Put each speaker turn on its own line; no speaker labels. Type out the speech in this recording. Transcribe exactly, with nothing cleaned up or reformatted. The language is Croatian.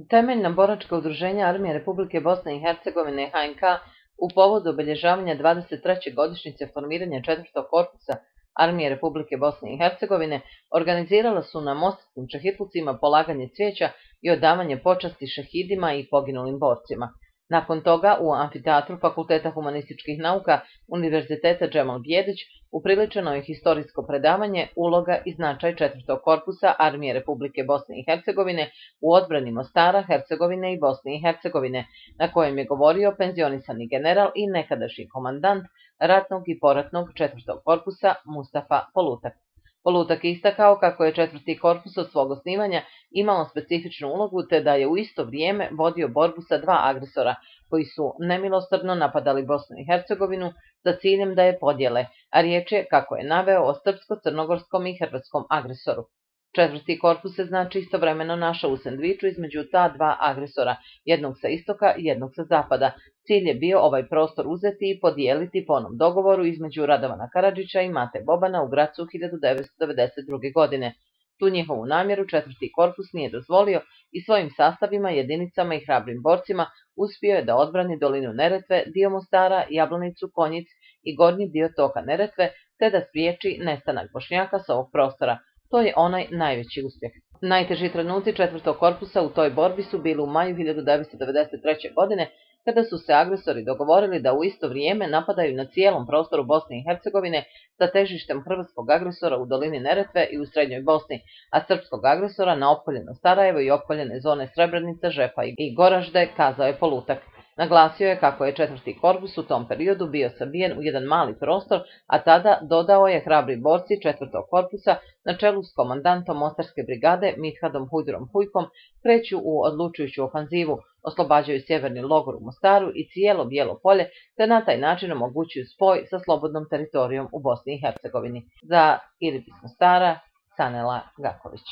Temeljna boračka udruženja Armije Republike Bosne i Hercegovine H N K u povodu obilježavanja dvadeset treće godišnjice formiranja četvrtog korpusa Armije Republike Bosne i Hercegovine organizirala su na mostarskim čehitlucima polaganje cvijeća i odavanje počasti šehidima i poginulim borcima. Nakon toga u amfiteatru Fakulteta humanističkih nauka Univerziteta Džemal Bijedić upriličeno je historijsko predavanje Uloga i značaj četvrtog korpusa Armije Republike Bosne i Hercegovine u odbrani Mostara, Hercegovine i Bosne i Hercegovine, na kojem je govorio penzionisani general i nekadašnji komandant ratnog i poratnog četvrtog korpusa Mustafa Polutak. Polutak je istakao kako je četvrti korpus od svog osnivanja imao specifičnu ulogu te da je u isto vrijeme vodio borbu sa dva agresora koji su nemilosrdno napadali Bosnu i Hercegovinu sa ciljem da je podijele, a riječ je, kako je naveo, o srpsko-crnogorskom i hrvatskom agresoru. Četvrti korpus se znači istovremeno našao u sendviču između ta dva agresora, jednog sa istoka i jednog sa zapada. Cilj je bio ovaj prostor uzeti i podijeliti po onom dogovoru između Radovana Karadžića i Mate Bobana u Gracu hiljadu devetsto devedeset druge. godine. Tu njihovu namjeru četvrti korpus nije dozvolio i svojim sastavima, jedinicama i hrabrim borcima uspio je da odbrani dolinu Neretve, dio Mostara, Jablanicu, Konjic i gornji dio toka Neretve, te da spriječi nestanak Bošnjaka sa ovog prostora. To je onaj najveći uspjeh. Najteži trenuci četvrtog korpusa u toj borbi su bili u maju hiljadu devetsto devedeset treće. godine, kada su se agresori dogovorili da u isto vrijeme napadaju na cijelom prostoru Bosne i Hercegovine sa težištem hrvatskog agresora u dolini Neretve i u srednjoj Bosni, a srpskog agresora na opkoljeno Sarajevo i opkoljene zone Srebrenica, Žepa i Goražde, kazao je Polutak. Naglasio je kako je četvrti korpus u tom periodu bio sabijen u jedan mali prostor, a tada, dodao je, hrabri borci četvrtog korpusa na čelu s komandantom Mostarske brigade Mithadom Hujdurom Hujkom kreću u odlučujuću ofanzivu, oslobađaju sjeverni logor u Mostaru i cijelo Bijelo polje, te na taj način omogućuju spoj sa slobodnom teritorijom u Bosni i Hercegovini. Za Ilip iz Mostara, Sanela Gaković.